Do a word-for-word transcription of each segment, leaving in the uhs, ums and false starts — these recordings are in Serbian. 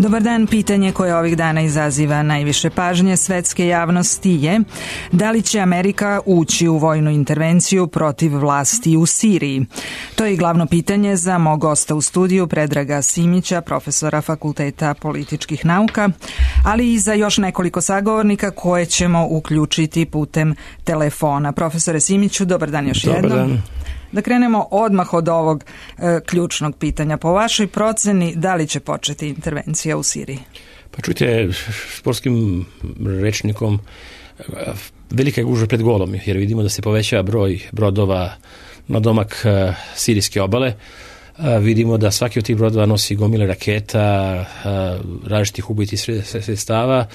Dobar dan, pitanje koje ovih dana izaziva najviše pažnje svetske javnosti je da li će Amerika ući u vojnu intervenciju protiv vlasti u Siriji. To je i glavno pitanje za mog gosta u studiju, Predraga Simića, profesora Fakulteta političkih nauka, ali i za još nekoliko sagovornika koje ćemo uključiti putem telefona. Profesore Simiću, dobar dan još jednom. Dobar dan. Da krenemo odmah od ovog e, ključnog pitanja. Po vašoj proceni, da li će početi intervencija u Siriji? Pa čujte, sportskim rečnikom, velika je gužva pred golom, jer vidimo da se povećava broj brodova na domak uh, sirijske obale. Uh, vidimo da svaki od tih brodova nosi gomile raketa, uh, različitih ubojitih sredstava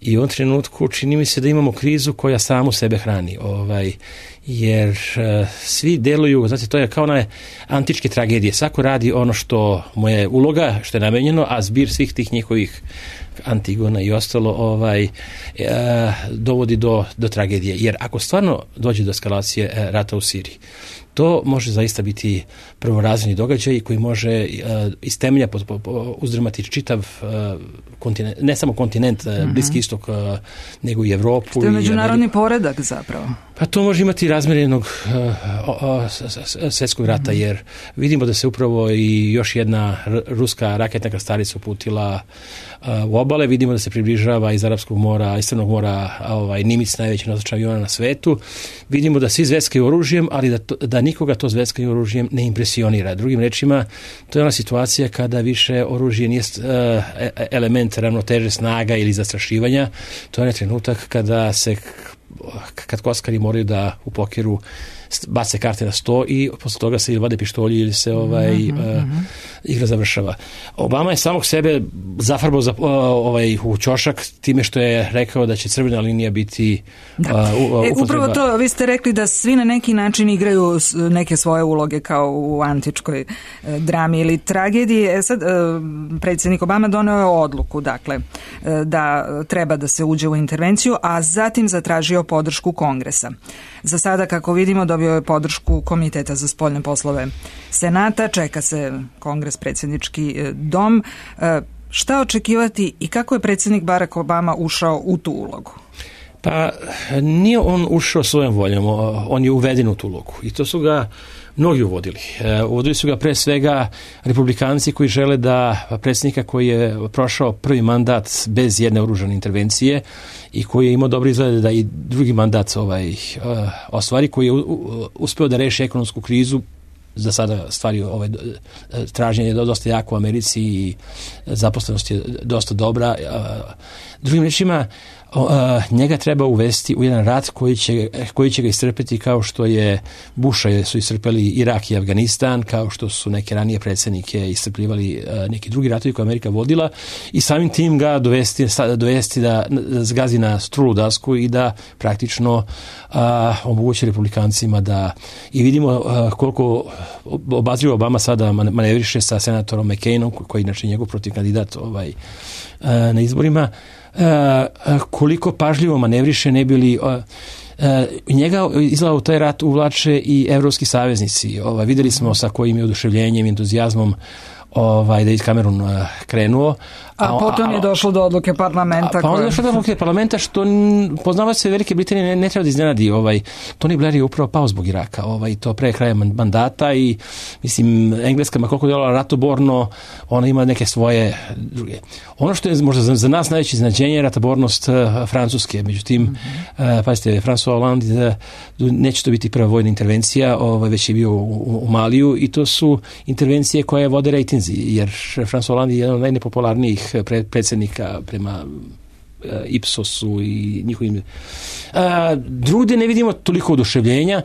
i u ovom trenutku čini mi se da imamo krizu koja samu sebe hrani. Ovaj, jer uh, svi deluju, znate, to je kao na antičke tragedije. Svako radi ono što mu je uloga, što je namenjeno, a zbir svih tih njihovih Antigona i ostalo ovaj, uh, dovodi do, do tragedije. Jer ako stvarno dođe do eskalacije uh, rata u Siriji, to može zaista biti prvorazredni događaj koji može uh, iz temelja po, po, po, uzdrmati čitav uh, kontinent, ne samo kontinent, uh, mm-hmm. Bliski istok, uh, nego i Evropu. Što je međunarodni poredak zapravo? Pa to može imati razmjer jednog uh, svjetskog rata, mm-hmm. jer vidimo da se upravo i još jedna r- ruska raketna krstarica uputila uh, u obale. Vidimo da se približava iz Arapskog mora, iz Crnog mora, ovaj, Nimitz, najveći nosač aviona na svetu. Vidimo da svi zveckaju oružjem, ali da, to, da nikoga to zveckanje oružjem ne impresionira. Drugim rečima, to je ona situacija kada više oružje nije uh, element ravnoteže snaga ili zastrašivanja. To je trenutak kada se kad kockari moraju da u pokeru bace karte na sto i posle toga se ili vade pištolji ili se ovaj mm-hmm. uh, igra završava. Obama je samog sebe zafarbao za, uh, ovaj, u ćošak time što je rekao da će crvena linija biti uh, u, e, upravo to, vi ste rekli da svi na neki način igraju neke svoje uloge kao u antičkoj uh, drami ili tragediji. E sad, uh, predsjednik Obama doneo je odluku, dakle, uh, da treba da se uđe u intervenciju, a zatim zatražio podršku Kongresa. Za sada, kako vidimo, dobio je podršku Komiteta za spoljne poslove Senata, čeka se Kongres, predsjednički dom. Šta očekivati i kako je predsjednik Barack Obama ušao u tu ulogu? Pa nije on ušao svojom voljom, on je uveden u tu ulogu i to su ga mnogi uvodili. Uvodili su ga pre svega republikanci koji žele da predsjednika koji je prošao prvi mandat bez jedne oružane intervencije i koji je imao dobre izglede da i drugi mandat ovaj, ostvari, koji je uspeo da reši ekonomsku krizu. Za sada stvari ovaj, traženje je dosta jako u Americi i zaposlenost je dosta dobra. Drugim rečima, njega treba uvesti u jedan rat koji će, koji će ga iscrpeti kao što je Busha su iscrpeli Irak i Afganistan, kao što su neke ranije predsjednike iscrpljivali neki drugi ratovi koje Amerika vodila i samim tim ga dovesti, dovesti da, da zgazi na strulu dasku i da praktično a, omogući republikancima da i vidimo a, koliko obazrivo Obama sada manevriše sa senatorom McCainom koji je inače njegov protiv kandidat ovaj, a, na izborima. Uh, koliko pažljivo manevriše ne bili uh, uh, njega izgleda u taj rat uvlače i evropski saveznici. Ovaj, videli smo sa kojim je oduševljenjem i entuzijazmom ovaj, da je Cameron uh, krenuo. A, a potom je došlo do odluke parlamenta. A, pa onda je došlo do odluke parlamenta što poznavač se Velike Britanije ne, ne treba da iznenadi. Ovaj, Tony Blair je upravo pao zbog Iraka. Ovaj, to pre kraja mandata i mislim, Engleska, ma koliko je djelovala ratoborno, ona ima neke svoje druge. Ono što je možda za, za nas najveće iznenađenje je ratobornost uh, Francuske. Međutim, mm-hmm. uh, pazite, François Hollande, uh, neće to biti prva vojna intervencija, ovaj, već je bio u, u, u Maliju i to su intervencije koje vode rejtinzi, jer François Hollande je jedan od najnepopularnijih predsjednika prema uh, Ipsosu i njihovim. Uh, drugdje ne vidimo toliko oduševljenja.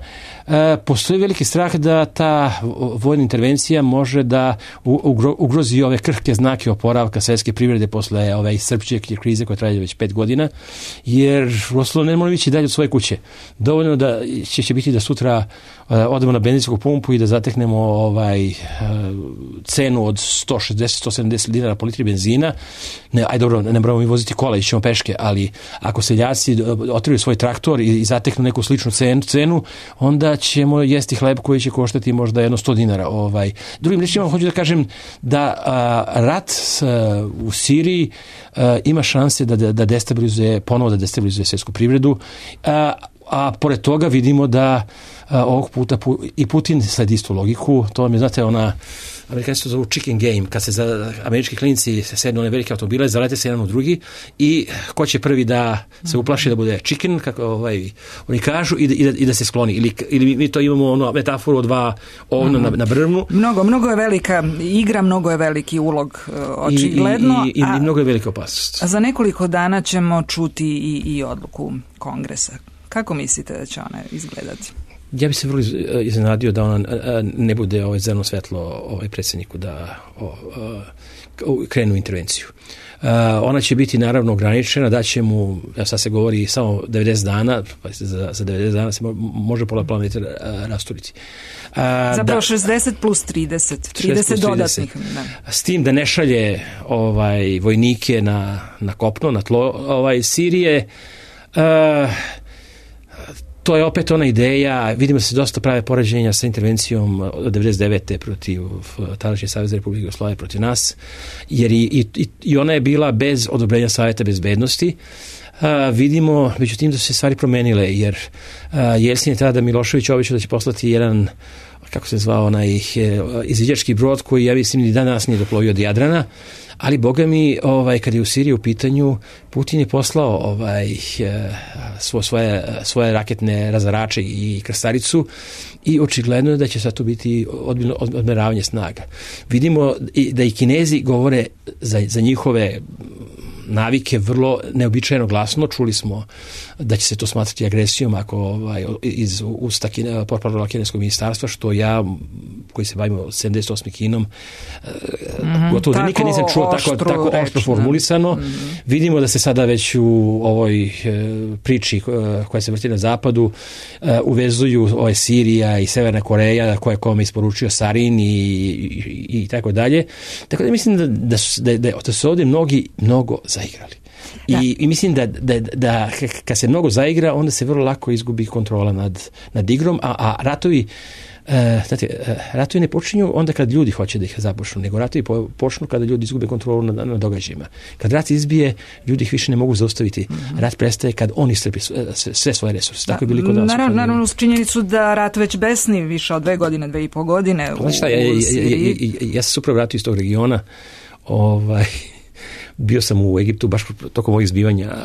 Uh, postoji veliki strah da ta vojna intervencija može da ugro, ugrozi ove krhke znake oporavka svjetske privrede posle ove iscrpčujuće krize koja traje već pet godina, jer Roslo ne može ići dalje od svoje kuće. Dovoljno da će, će biti da sutra uh, odemo na benzinsku pumpu i da zateknemo ovaj uh, cenu od sto šezdeset do sto sedamdeset dinara po litri benzina. Ne, aj dobro, ne moramo mi voziti kola, ićemo peške, ali ako seljaci otriju svoj traktor i zateknu neku sličnu cenu, onda ćemo jesti hleb koji će koštati možda jedno sto dinara. Ovaj. Drugim rečima, hoću da kažem da a, rat a, u Siriji a, ima šanse da, da, da destabilizuje, ponovo da destabilizuje svjetsku privredu, a, a pored toga vidimo da a, ovog puta pu, i Putin sledi istu logiku. To vam je, znate, ona Amerikanci to zovu chicken game, kad se za američki klinici sednu one velike automobile, zalete se jedan u drugi i ko će prvi da se uplaši da bude chicken, kako ovaj, oni kažu, i da, i da, i da se skloni. Ili, ili mi to imamo ono, metaforu od dva ovna mm. na, na brvnu. Mnogo, mnogo je velika igra, mnogo je veliki ulog, očigledno. I, i, i, i mnogo je velika opasnost. A za nekoliko dana ćemo čuti i, i odluku Kongresa. Kako mislite da će ona izgledati? Ja bih se vrlo iznenadio da ona ne bude ovaj zeleno svetlo ovaj predsjedniku da o, o, krenu intervenciju. Ona će biti naravno ograničena, da će mu, ja sad se govori samo devedeset dana, pa za, za devedeset dana se može pola planete rasturiti. Zapravo da, šezdeset plus trideset, trideset dodatnih. Da. S tim da ne šalje ovaj, vojnike na, na kopno, na tlo ovaj, Sirije. Uh, To je opet ona ideja, vidimo se dosta prave poređenja sa intervencijom od devedeset devete protiv tadašnje Savezne Republike Jugoslavije protiv nas, jer i, i, i ona je bila bez odobrenja Savjeta bezbednosti. Uh, vidimo, međutim, da su se stvari promenile, jer uh, Jelcin je tada Milošević obećao da će poslati jedan, kako se zvao, onaj izviđački brod koji, ja mislim, ni danas nije doplovio od Jadrana, ali boga mi, ovaj, kad je u Siriji u pitanju, Putin je poslao ovaj, svo, svoje, svoje raketne razarače i krstaricu i očigledno je da će sad to biti odbiljno odmeravanje snaga. Vidimo da i Kinezi govore za, za njihove navike vrlo neobičajeno glasno. Čuli smo da će se to smatrati agresijom ako ovaj, iz usta portparolera kineskog ministarstva, što ja, koji se bavimo sedamdeset osam Kinom, mm-hmm, gotovo da nikad nisam čuo tako, tako oštro formulisano. Mm-hmm. Vidimo da se sada već u ovoj e, priči koja se vrti na zapadu e, uvezuju ovaj Sirija i Severna Koreja koja je kome isporučio sarin i, i, i tako dalje. Tako da mislim da, da, su, da, da, da su ovdje mnogi mnogo zaigrali. I, i mislim da, da, da kad se mnogo zaigra, onda se vrlo lako izgubi kontrola nad, nad igrom, a, a ratovi Uh, znate, uh, ratovi ne počinju onda kad ljudi hoće da ih započnu, nego ratovi po, počnu kada ljudi izgube kontrolu nad, nad događajima. Kad rat izbije, ljudi ih više ne mogu zaustaviti. Mm-hmm. Rat prestaje kad on iscrpi sve, sve svoje resurse. Tako je bili kod nas. Naravno, naravno uz činjenicu da rat već besni više od dve godine, dve i po godine u, znači šta, ja, ja, ja, ja, ja, ja sam super vratio iz tog regiona. Ovaj, bio sam u Egiptu baš tokom ovih zbivanja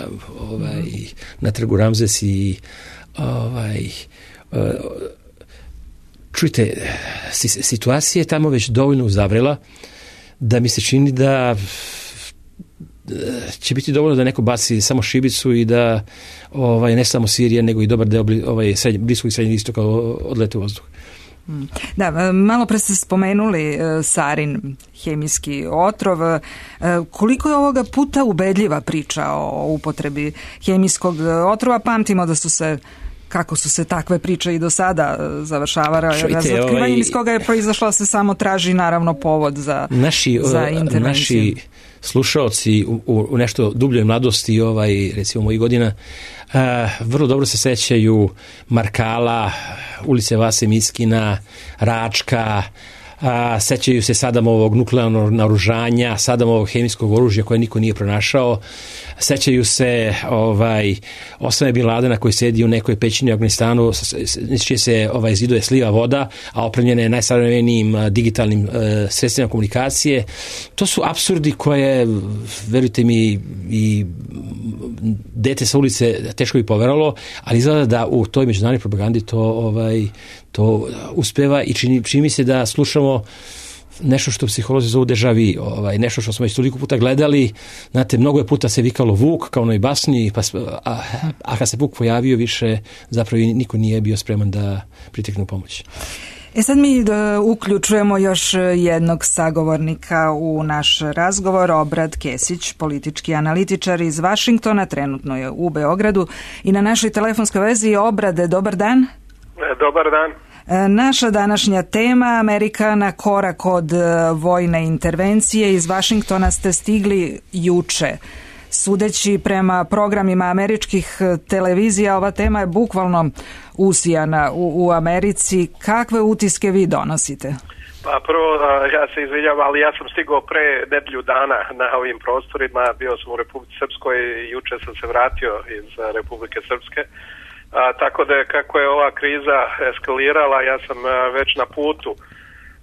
ovaj, mm-hmm. na trgu Ramzes i ovaj, uh, čujte, situacija je tamo već dovoljno uzavrela da mi se čini da će biti dovoljno da neko baci samo šibicu i da ovaj, ne samo Sirija, nego i dobar deo ovaj, srednje, bliskog i srednjeg istoka odlete u vazduh. Da, malo pre ste spomenuli sarin, hemijski otrov. Koliko je ovoga puta ubedljiva priča o upotrebi hemijskog otrova? Pamtimo da su se kako su se takve priče i do sada završavale. Razotkrivanjem ovaj, iz koga je proizašlo se samo traži naravno povod za, naši, za intervenciju. Naši slušaoci u, u, u nešto dubljoj mladosti, ovaj, recimo mojih godina, uh, vrlo dobro se sećaju Markala, ulice Vase Miskina, Račka, a, sećaju se Sadamovog nuklearnog naoružanja, Sadamovog hemijskog oružja koje niko nije pronašao, sećaju se ovaj, Osame Bin Ladena koji sedi u nekoj pećini u Afganistanu, čije se ovaj, ziduje sliva voda, a opremljene najsavremenijim digitalnim e, sredstvima komunikacije. To su apsurdi koje, verujte mi, i dete sa ulice teško bi poveralo, ali izgleda da u toj međunarodnoj propagandi to, ovaj, to uspeva i čini, čini mi se da slušamo nešto što psiholozi zovu deja vu, ovaj, nešto što smo već toliko puta gledali. Znate, mnogo je puta se vikalo Vuk kao onoj basni, pa, a, a kad se Vuk pojavio više, zapravo niko nije bio spreman da pritekne u pomoć. E sad mi da uključujemo još jednog sagovornika u naš razgovor, Obrad Kesić, politički analitičar iz Vašingtona, trenutno je u Beogradu i na našoj telefonskoj vezi. Obrade, dobar dan. Dobar dan. Naša današnja tema, Amerika na korak od vojne intervencije. Iz Vašingtona ste stigli juče. sudeći prema programima američkih televizija, ova tema je bukvalno usijana u, u Americi. Kakve utiske vi donosite? Pa prvo, ja se izvinjam, ali ja sam stigao pre nedelju dana na ovim prostorima, bio sam u Republici Srpskoj i juče sam se vratio iz Republike Srpske. A, tako da kako je ova kriza eskalirala, ja sam a, već na putu,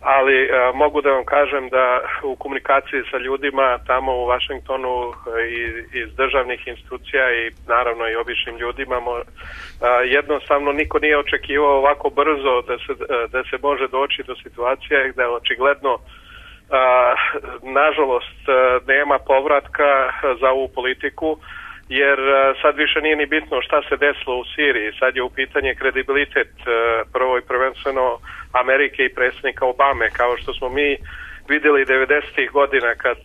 ali a, mogu da vam kažem da u komunikaciji sa ljudima tamo u Vašingtonu i iz državnih institucija i naravno i običnim ljudima mo, a, jednostavno niko nije očekivao ovako brzo da se, da se može doći do situacije gde očigledno a, nažalost nema povratka za ovu politiku, jer sad više nije ni bitno šta se desilo u Siriji, sad je u pitanje kredibilitet prvo i prvenstveno Amerike i predsjednika Obame, kao što smo mi vidjeli devedesetih godina kad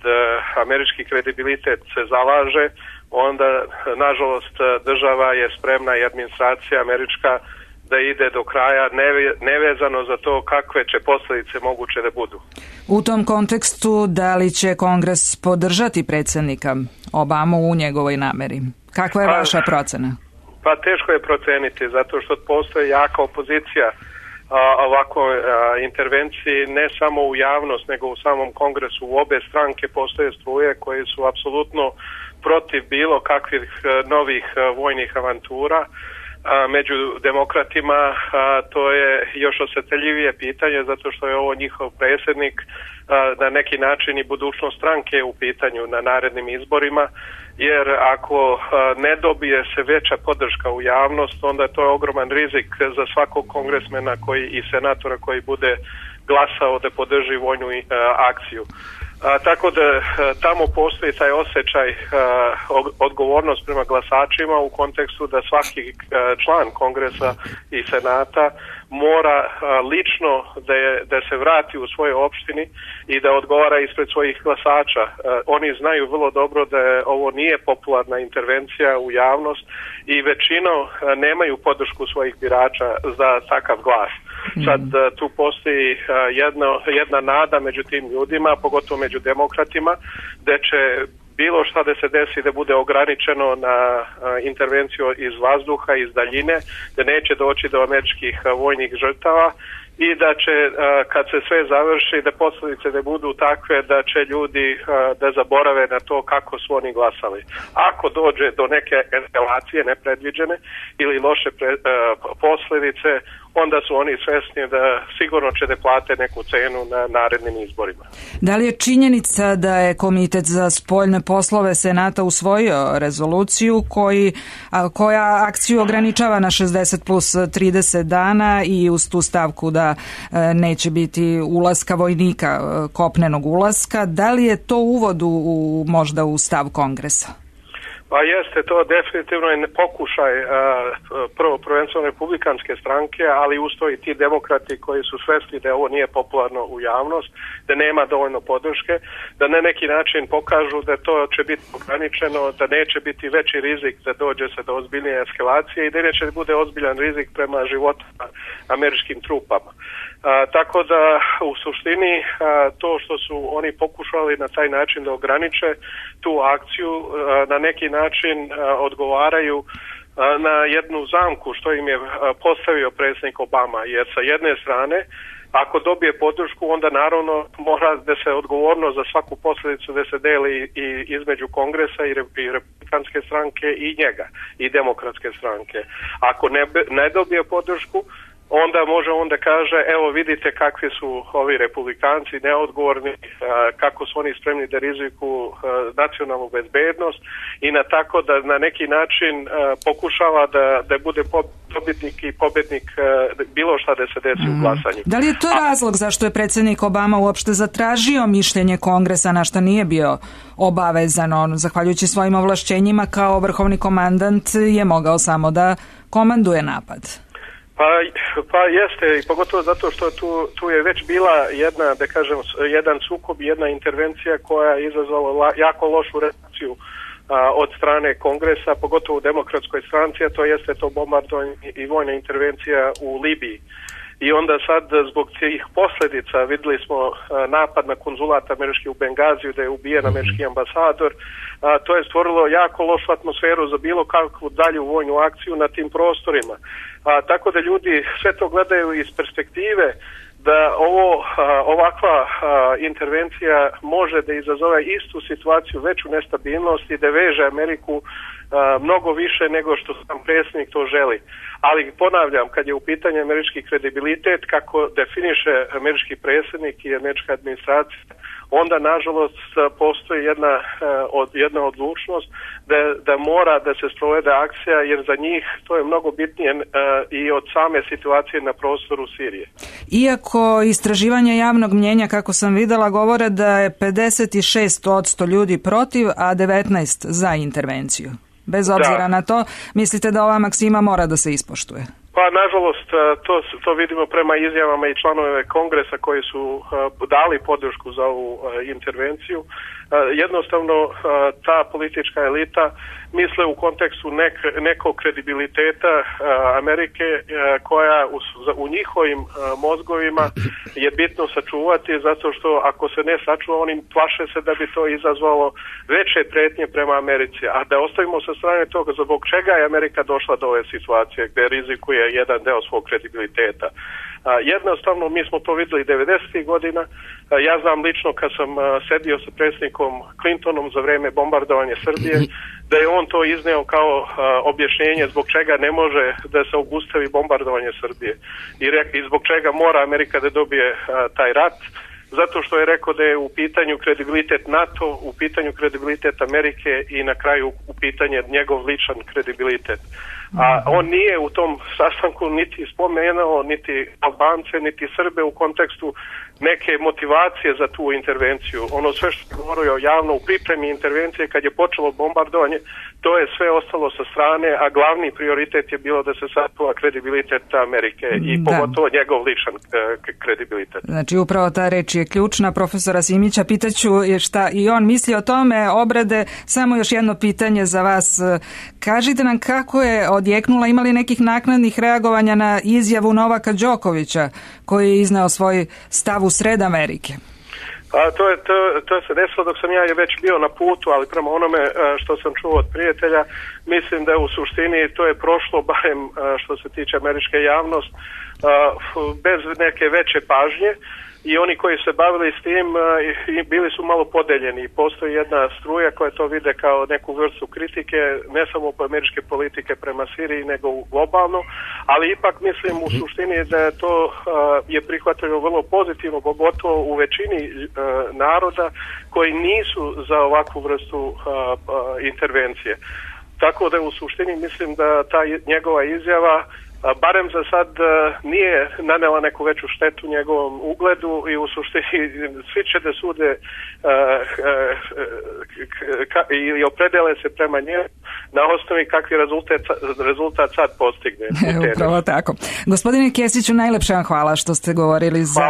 američki kredibilitet se zalaže, onda nažalost država je spremna i administracija američka da ide do kraja nevezano za to kakve će posljedice moguće da budu. U tom kontekstu, da li će Kongres podržati predsjednika Obamu u njegovoj nameri? Kakva je pa, vaša procena? Pa teško je proceniti, zato što postoji jaka opozicija a, ovakvoj intervenciji, ne samo u javnost, nego u samom Kongresu. U obe stranke postoje struje koje su apsolutno protiv bilo kakvih novih vojnih avantura. A, među demokratima a, to je još osjetljivije pitanje zato što je ovo njihov predsjednik, a, na neki način i budućnost stranke u pitanju na narednim izborima, jer ako a, ne dobije se veća podrška u javnost, onda to je ogroman rizik za svakog kongresmena koji, i senatora koji bude glasao da podrži vojnu a, akciju. A, tako da a, tamo postoji taj osjećaj a, odgovornost prema glasačima u kontekstu da svaki a, član Kongresa i Senata mora a, lično da, je, da se vrati u svojoj opštini i da odgovara ispred svojih glasača. A, oni znaju vrlo dobro da je, ovo nije popularna intervencija u javnost i većinom a, nemaju podršku svojih birača za takav glas. Sad tu postoji jedna, jedna nada među tim ljudima, pogotovo među demokratima, da će bilo šta da se desi da bude ograničeno na intervenciju iz vazduha, iz daljine, da neće doći do američkih vojnih žrtava i da će, kad se sve završi, da posljedice da budu takve da će ljudi da zaborave na to kako su oni glasali. Ako dođe do neke eskalacije nepredviđene ili loše pre, posljedice, onda su oni svesni da sigurno će da plate neku cenu na narednim izborima. Da li je činjenica da je Komitet za spoljne poslove Senata usvojio rezoluciju koji, a, koja akciju ograničava na šezdeset plus trideset dana i uz tu stavku da e, neće biti ulaska vojnika, e, kopnenog ulaska, da li je to uvod u, u, možda u stav Kongresa? Pa jeste, to definitivno je pokušaj uh, prvo prvenstveno republikanske stranke, ali usto i ti demokrati koji su svesni da ovo nije popularno u javnost, da nema dovoljno podrške, da na neki način pokažu da to će biti ograničeno, da neće biti veći rizik da dođe se do ozbiljnije eskalacije i da neće bude ozbiljan rizik prema životima američkim trupama. A, tako da u suštini a, to što su oni pokušali na taj način da ograniče tu akciju a, na neki način a, odgovaraju a, na jednu zamku što im je a, postavio predsjednik Obama, jer sa jedne strane ako dobije podršku, onda naravno mora da se odgovornost za svaku posljedicu da se deli i između Kongresa i, re, i republikanske stranke i njega i demokratske stranke. Ako ne, ne dobije podršku, onda može onda kaže, evo vidite kakvi su ovi republikanci neodgovorni, kako su oni spremni da riziku nacionalnu bezbednost i na tako da na neki način pokušava da, da bude pobjednik i pobjednik bilo šta da se desi mm. u glasanju. Da li je to razlog zašto je predsjednik Obama uopšte zatražio mišljenje Kongresa na šta nije bio obavezan? On, zahvaljujući svojim ovlašćenjima kao vrhovni komandant, je mogao samo da komanduje napad. Pa, pa jeste, i pogotovo zato što tu, tu je već bila jedna, da kažem, jedan sukob, jedna intervencija koja je izazvala jako lošu reakciju a, od strane Kongresa, pogotovo u demokratskoj stranci, a to jeste to bombardovanje i vojna intervencija u Libiji. i onda sad zbog tih posljedica vidjeli smo napad na konzulat američki u Bengaziju da je ubijen američki ambasador. A, to je stvorilo jako lošu atmosferu za bilo kakvu dalju vojnu akciju na tim prostorima. A, tako da ljudi sve to gledaju iz perspektive da ovo, a, ovakva a, intervencija može da izazove istu situaciju, veću nestabilnost i da veže Ameriku a, mnogo više nego što sam predsjednik to želi. Ali ponavljam, kad je u pitanju američki kredibilitet, kako definiše američki predsjednik i američka administracija, onda nažalost postoji jedna, od, jedna odlučnost da, da mora da se sprovede akcija, jer za njih to je mnogo bitnije uh, i od same situacije na prostoru Sirije. Iako istraživanja javnog mnjenja, kako sam videla, govore da je pedeset šest posto ljudi protiv, a devetnaest za intervenciju. Bez obzira da. na to, mislite da ova maksima mora da se ispoštuje? Pa, nažalost, to, to vidimo prema izjavama i članove Kongresa koji su uh, dali podršku za ovu uh, intervenciju. Uh, jednostavno, uh, ta politička elita misle u kontekstu nek, nekog kredibiliteta uh, Amerike uh, koja u, u njihovim uh, mozgovima je bitno sačuvati, zato što ako se ne sačuva, oni plaše se da bi to izazvalo veće prijetnje prema Americi. A da ostavimo sa strane toga zbog čega je Amerika došla do ove situacije gdje rizikuje jedan deo svog kredibiliteta. A, jednostavno, mi smo to vidjeli devedesetih godina. A, ja znam lično kad sam a, sedio sa predsjednikom Clintonom za vrijeme bombardovanja Srbije, da je on to izneo kao a, objašnjenje zbog čega ne može da se obustavi bombardovanje Srbije. I, re, i zbog čega mora Amerika da dobije a, taj rat. Zato što je rekao da je u pitanju kredibilitet NATO, u pitanju kredibilitet Amerike i na kraju u pitanje njegov ličan kredibilitet. A on nije u tom sastanku niti spomenuo, niti Albance, niti Srbe u kontekstu neke motivacije za tu intervenciju. Ono sve što je govorio javno u pripremi intervencije kad je počelo bombardovanje, to je sve ostalo sa strane, a glavni prioritet je bilo da se sačuva kredibilitet Amerike i da. pogotovo njegov ličan kredibilitet. Znači upravo ta reč je ključna. Profesora Simića pitaću šta i on misli o tome, obrade. Samo još jedno pitanje za vas. Kažite nam kako je odjeknula, imali nekih naknadnih reagovanja na izjavu Novaka Đokovića koji je izneo svoj stav u sred Amerike? A to, je, to, to se desilo dok sam ja već bio na putu, ali prema onome što sam čuo od prijatelja, mislim da u suštini to je prošlo, barem što se tiče američke javnosti, bez neke veće pažnje. I oni koji se bavili s tim bili su malo podeljeni. Postoji jedna struja koja to vide kao neku vrstu kritike, ne samo po američke politike prema Siriji, nego globalno, ali ipak mislim u suštini da je to je prihvatljeno vrlo pozitivno, pogotovo u većini naroda koji nisu za ovakvu vrstu intervencije. Tako da u suštini mislim da ta njegova izjava barem za sad nije nanela neku veću štetu njegovom ugledu i u suštini svi će da sude i opredele se prema njemu na osnovi kakvi rezultat, rezultat sad postigne. E, upravo tako. Gospodine Kesiću, najlepša vam hvala što ste govorili za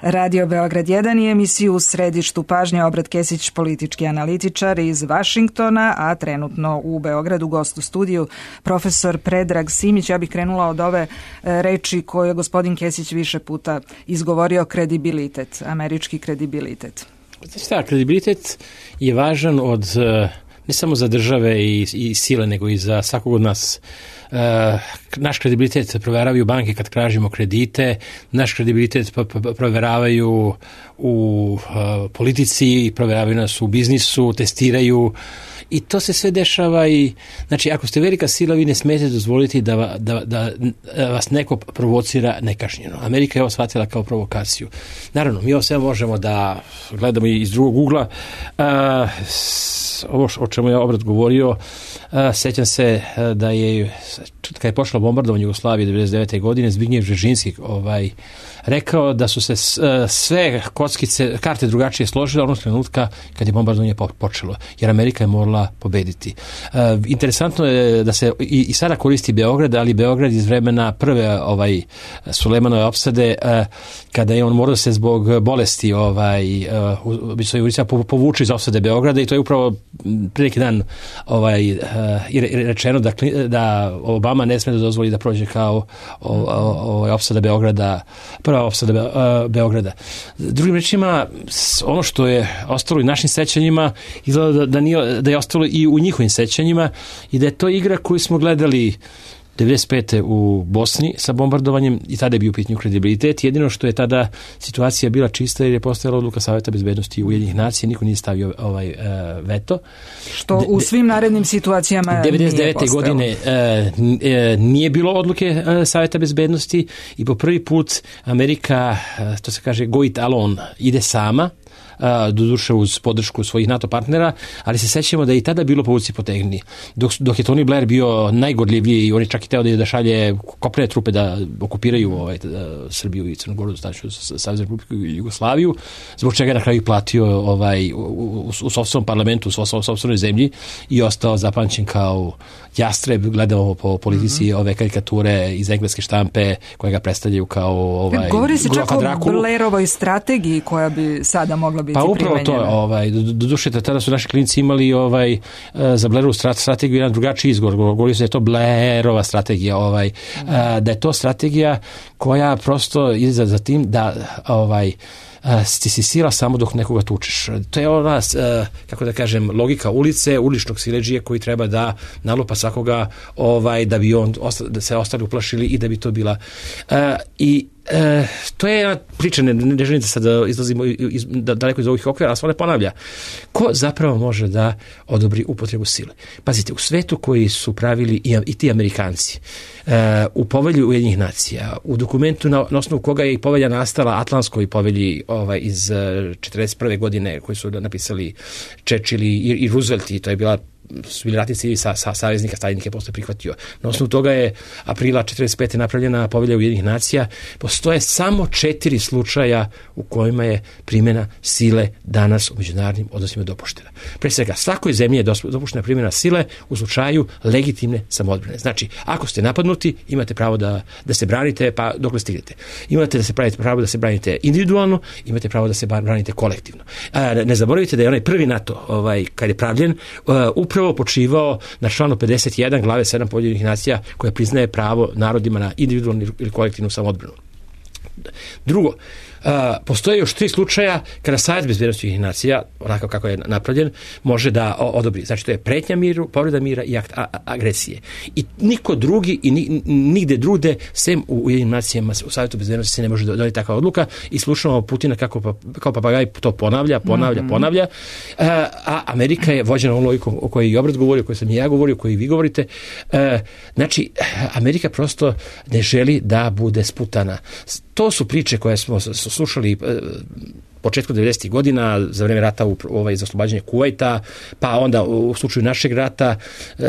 Radio Beograd jedan i emisiju U središtu pažnje. Obrat Kesić, politički analitičar iz Vašingtona, a trenutno u Beogradu gost u studiju profesor Predrag Simić. Ja bih krenula od ove reči koje je gospodin Kesić više puta izgovorio, kredibilitet, američki kredibilitet. Šta, kredibilitet je važan od ne samo za države i, i sile, nego i za svakog od nas. Uh, naš kredibilitet proveravaju banke kad tražimo kredite, naš kredibilitet proveravaju u uh, politici, proveravaju nas u biznisu, testiraju i to se sve dešava i znači ako ste velika sila vi ne smijete dozvoliti da, da, da vas neko provocira nekažnjeno. Amerika je ovo shvatila kao provokaciju. Naravno, mi ovo sve možemo da gledamo iz drugog ugla. Uh, ovo o čemu je Obrat govorio, uh, sećam se uh, da je kad je počelo bombardovanje Jugoslavije devedeset devete godine, Zbignjev Bžežinski ovaj, rekao da su se uh, sve kockice, karte drugačije složile onog trenutka kad je bombardovanje počelo, jer Amerika je morala pobediti. Uh, interesantno je da se i, i sada koristi Beograd, ali Beograd iz vremena prve ovaj, Sulejmanove opsade, uh, kada je on morao se zbog bolesti ovaj, uh, povuče iz opsade Beograda i to je upravo pre neki dan ovaj, uh, rečeno da, da Obama Obama ne sme da dozvoli da prođe kao o, o, o, opsada Beograda, prva opsada Be, o, Beograda. Drugim rečima, ono što je ostalo u našim sećanjima izgleda da, da, nije, da je ostalo i u njihovim sećanjima i da je to igra koju smo gledali devedeset pete u Bosni sa bombardovanjem i tada je bio u pitanju kredibilitet. Jedino što je tada situacija bila čista jer je postojala odluka Saveta bezbednosti Ujedinjenih nacija, niko nije stavio ovaj uh, veto. Što u svim narednim situacijama devedeset devete godine uh, nije bilo odluke uh, Saveta bezbednosti i po prvi put Amerika, uh, to se kaže go it alone, ide sama, doduše uz podršku svojih NATO partnera, ali se sećamo da je i tada bilo povuci potegni. Dok, dok je Tony Blair bio najgorljiviji i on je čak i teo da, da šalje kopnene trupe da okupiraju ovaj, da, Srbiju i Crnu Goru, da staću Savez Republiku i Jugoslaviju, zbog čega je na kraju platio ovaj, u, u, u sopstvenom parlamentu, u sopstvenoj zemlji i ostao zapamćen kao jastreb, gledamo po politici mm-hmm. ove karikature iz engleske štampe koje ga predstavljaju kao ovaj, govori se čak o Blairovoj strategiji koja bi sada mogla biti pa upravo primenjena. To, ovaj, do, do duše, tada su naši klinici imali ovaj, za Blairovu strategiju jedan drugačiji izgovor, govori se da je to Blairova strategija, ovaj, mm. da je to strategija koja prosto ide za, za tim da ovaj, ti si sila samo dok nekoga tučeš. To je ona, kako da kažem, logika ulice, uličnog siledžije koji treba da nalupa svakoga ovaj, da bi on da se ostali uplašili i da bi to bila. I E, to je jedna priča, ne, ne želim da sad izlazimo iz, da, daleko iz ovih okvira, ali se ona ponavlja. Ko zapravo može da odobri upotrebu sile? Pazite, u svetu koji su pravili i, i ti Amerikanci, e, u povelju Ujedinjenih nacija, u dokumentu na, na osnovu koga je i povelja nastala, Atlantskoj povelji ovaj, iz četrdeset prve godine koji su napisali Churchill i, i Roosevelt, i to je bila su bili ratni ciljevi sa, sa saveznika, Stalin je posle prihvatio. Na osnovu toga je aprila četrdeset pete napravljena povelja Ujedinjenih nacija. Postoje samo četiri slučaja u kojima je primjena sile danas u međunarodnim odnosima dopuštena. Pre svega, svakoj zemlji je dopuštena primjena sile u slučaju legitimne samoodbrane. Znači, ako ste napadnuti, imate pravo da, da se branite, pa dokle stignete. Imate da se pravite pravo da se branite individualno, imate pravo da se branite kolektivno. A, ne zaboravite da je onaj prvi NATO, ovaj, kad je pravljen, uh, upravo počivao na članu pedeset jedan glave sedam Ujedinjenih nacija koja priznaje pravo narodima na individualnu ili kolektivnu samoodbranu. Drugo, Uh, postoje još tri slučaja kada Savet bezbednosti Ujedinjenih nacija, onako kako je napravljen, može da odobri. Znači, to je pretnja miru, povreda mira i akt a- agresije. I niko drugi i ni, nigde drugde, sem u Ujedinjenim nacijama, u Savetu bezbednosti se ne može doneti takva odluka i slušamo Putina kako pa, kao papagaj to ponavlja, ponavlja, mm-hmm. ponavlja. Uh, a Amerika je vođena ovom logikom o kojoj i Obrat govori, o kojoj sam i ja govorio, o kojoj vi govorite. Uh, znači, Amerika prosto ne želi da bude sputana. To su priče koje smo slušali početku devedesetih godina za vreme rata u ovaj, za oslobađanje Kuvajta, pa onda u slučaju našeg rata,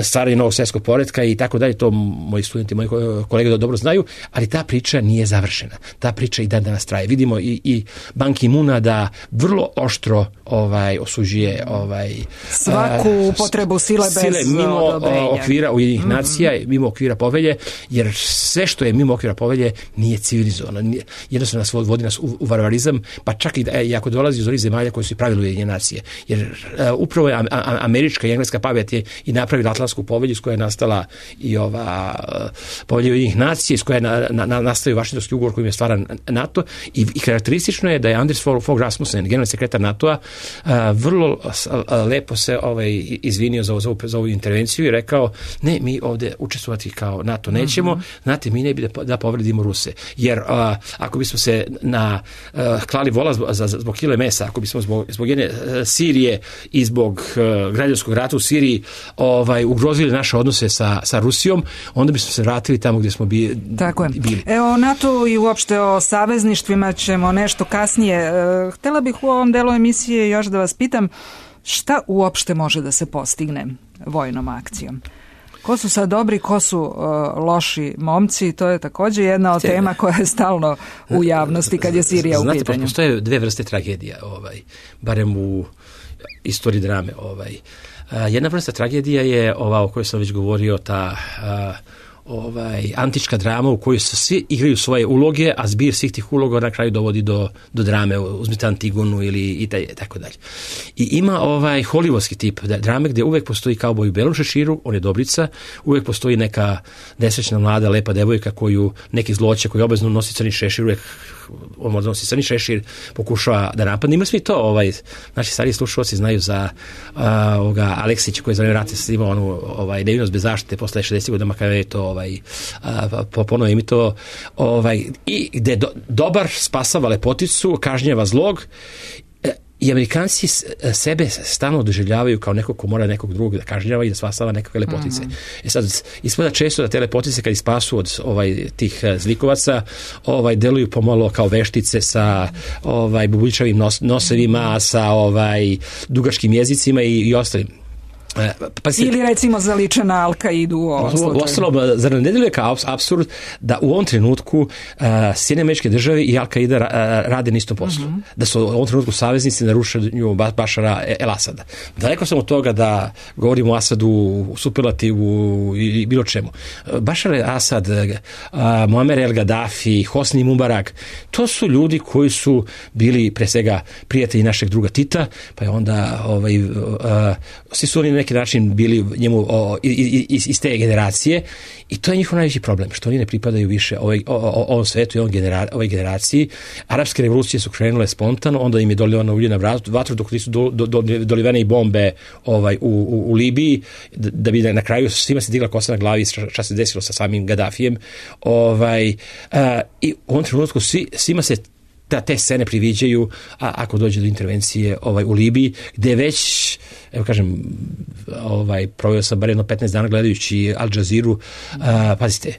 stvaranje novog svjetskog poretka i tako dalje, to moji studenti, moji kolege da dobro znaju, ali ta priča nije završena. Ta priča i dan danas traje. Vidimo i, i Ban Ki-moona da vrlo oštro ovaj, osuđuje ovaj, svaku uh, upotrebu sile, sile bez mimo odobrenja. okvira Ujedinjenih mm-hmm. nacija, mimo okvira povelje, jer sve što je mimo okvira povelje nije civilizovano. Jednostavno nas vodi nas u, u varvarizam, pa čak i da i ako dolazi iz onih zemalja koje su i pravili Ujedinjene nacije. Jer uh, upravo je a, a, američka i engleska pamet je i napravila Atlantsku povelju iz koje je nastala i ova uh, povelja Ujedinjenih nacija, iz koje je na, na, na, nastavio Vašingtonski ugovor kojim je stvaran NATO i, i karakteristično je da je Anders Fogh Rasmussen, generalni sekretar NATO-a, uh, vrlo uh, lepo se ovaj, izvinio za, za, za ovu intervenciju i rekao, ne, mi ovde učestvovati kao NATO nećemo, mm-hmm. znate, mi ne bi da, da povredimo Ruse. Jer uh, ako bismo se na uh, klali vola za, za zbog kile mesa, ako bismo zbog, zbog jedne uh, Sirije i zbog uh, građanskog rata u Siriji ovaj, ugrozili naše odnose sa, sa Rusijom, onda bismo se vratili tamo gdje smo bi, Tako je. bili. Evo, o NATO i uopšte o savezništvima ćemo nešto kasnije. E, htjela bih u ovom delu emisije još da vas pitam šta uopšte može da se postigne vojnom akcijom? Ko su sad dobri, ko su uh, loši momci, to je također jedna od tema koja je stalno u javnosti kad je Sirija Znate, u pitanju. Znate, postoje dve vrste tragedija, ovaj, barem u istoriji drame. Ovaj. Uh, jedna vrsta tragedija je ova o kojoj sam već govorio, ta uh, ovaj, antička drama u kojoj svi igraju svoje uloge, a zbir svih tih uloga na kraju dovodi do, do drame, uzmite Antigonu ili i taj, tako dalje. I ima ovaj hollywoodski tip drame gdje uvek postoji kauboj u belom šeširu, on je dobrica, uvek postoji neka nesrećna mlada, lepa devojka koju neki zloće koji obavezno nosi crni šešir, uvek on možda nosi crni šešir, pokušava da napadne. Ima svi to, ovaj, naši stariji slušalci znaju za uh, ovoga Aleksića koji je za vreme rata snimao onu ovaj, Nevinost bez zaštite posle šezdesetih godina kada je to ovaj, uh, ponovo imito ovaj, i gde do, dobar spasava lepoticu, kažnjava zlog. I Amerikanci sebe stalno doživljavaju kao nekog ko mora nekog drugog da kažnjava i da spasava nekakve lepotice. Mm-hmm. E sad, ispada često da te lepotice kad ispasu od ovaj, tih zlikovaca ovaj, deluju pomalo kao veštice sa ovaj, bubuljčavim nos, nosevima, sa ovaj, dugačkim jezicima i, i ostalim. Pa si, ili recimo zaliče na Al-Kaidu u ovom slučaju. Ostalo, zar ne deluje kao apsurd da u ovom trenutku uh, Sjedinjene Američke Države i Al-Kaida ra, rade na istom poslu. Mm-hmm. Da su u ovom trenutku saveznici na rušenju Bašara el-Asada. Daleko sam od toga da govorimo o Asadu, u superlativu i bilo čemu. Bašar el-Asad, uh, Muammer el-Gaddafi, Hosni Mubarak, to su ljudi koji su bili pre svega prijatelji našeg druga Tita, pa je onda ovaj, uh, svi su oni na neki način bili njemu o, iz, iz te generacije i to je njihov najveći problem, što oni ne pripadaju više ovoj, o, o, ovom svetu i ovom genera, ovoj generaciji. Arapske revolucije su krenule spontano, onda im je dolivano ulje na vatru dok nisu do, do, do, dolivene i bombe ovaj, u, u, u Libiji, da bi na kraju svima se digla kosa na glavi šta se desilo sa samim Gaddafijem. Ovaj, a, i u ovom trenutku svi, svima se da te scene priviđaju, a ako dođe do intervencije ovaj, u Libiji, gde već, evo kažem, ovaj, proveo sam bar jedno petnaest dana gledajući Al Jazeeru, a, pazite,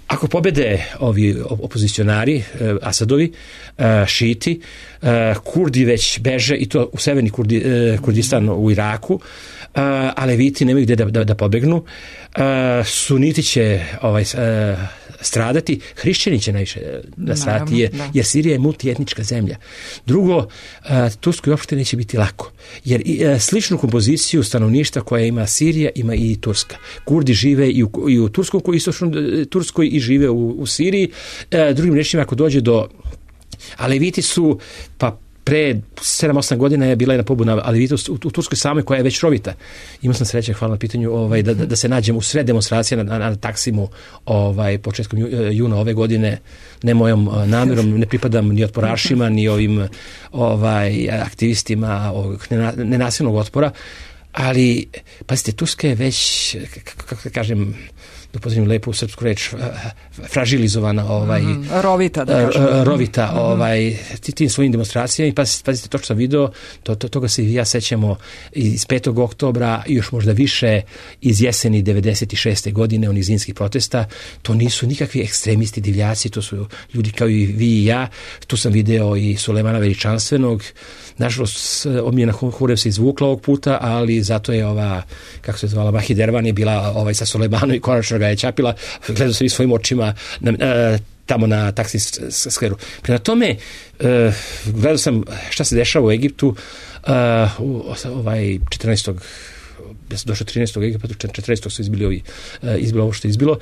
ako pobede ovi opozicionari, Asadovi, šiti, Kurdi već beže, i to u severni Kurdi, Kurdistan u Iraku, a Leviti nemaju gde da, da, da pobegnu, Suniti će ovaj, stradati, hrišćani će najviše nastradati, jer, jer Sirija je multietnička zemlja. Drugo, Turskoj uopšte neće biti lako, jer sličnu kompoziciju stanovništva koja ima Sirija ima i Turska. Kurdi žive i u, i u Turskoj, i Turskoj i žive u, u Siriji. Drugim rečima, ako dođe do Aleviti su, pa pre sedam osam godina je bila jedna pobuna Alevita u, u Turskoj samoj koja je već rovita. Imao sam sreće, hvala na pitanju, ovaj, da, da, da se nađem u sred demonstracije na, na, na Taksimu ovaj, početkom juna ove godine, ne mojom namjerom, ne pripadam ni otporašima, ni ovim ovaj, aktivistima ovog nenasilnog otpora, ali, pazite, Turska je već, kako da kažem, da upozornim lepo u srpsku reč, fražilizovana, ovaj, mm, rovita, da kažem. Rovita, mm. ovaj, tim svojim demonstracijama i pazite, pazite to što sam video, to, to, toga se i ja sećamo iz petog oktobra i još možda više iz jeseni devedeset šeste godine, onih zimskih protesta. To nisu nikakvi ekstremisti, divljaci, to su ljudi kao i vi i ja. Tu sam video i Sulejmana Veličanstvenog. Nažalost, Omijena Hurev se izvukla ovog puta, ali zato je ova, kako se zvala, Mahi Dervan je bila ovaj, sa Sulejmanom i konačno ga je čapila. Gledao sam i svojim očima na, na, tamo na Taksim skveru. Prema tome, uh, gledao sam šta se dešava u Egiptu, uh, ovaj četrnaestog ja sam došao trinaestog Egipta, četrnaestog su izbili ovi, uh, izbilo ovo što je izbilo.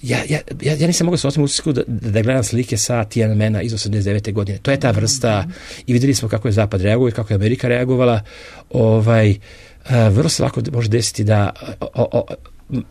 Ja, ja, ja, ja nisam mogao se ostaviti utisku da, da gledam slike sa Tiananmena iz osamdeset devete godine. To je ta vrsta i vidjeli smo kako je Zapad reagovao i kako je Amerika reagovala. Ovaj, uh, vrlo se lako može desiti da o, o,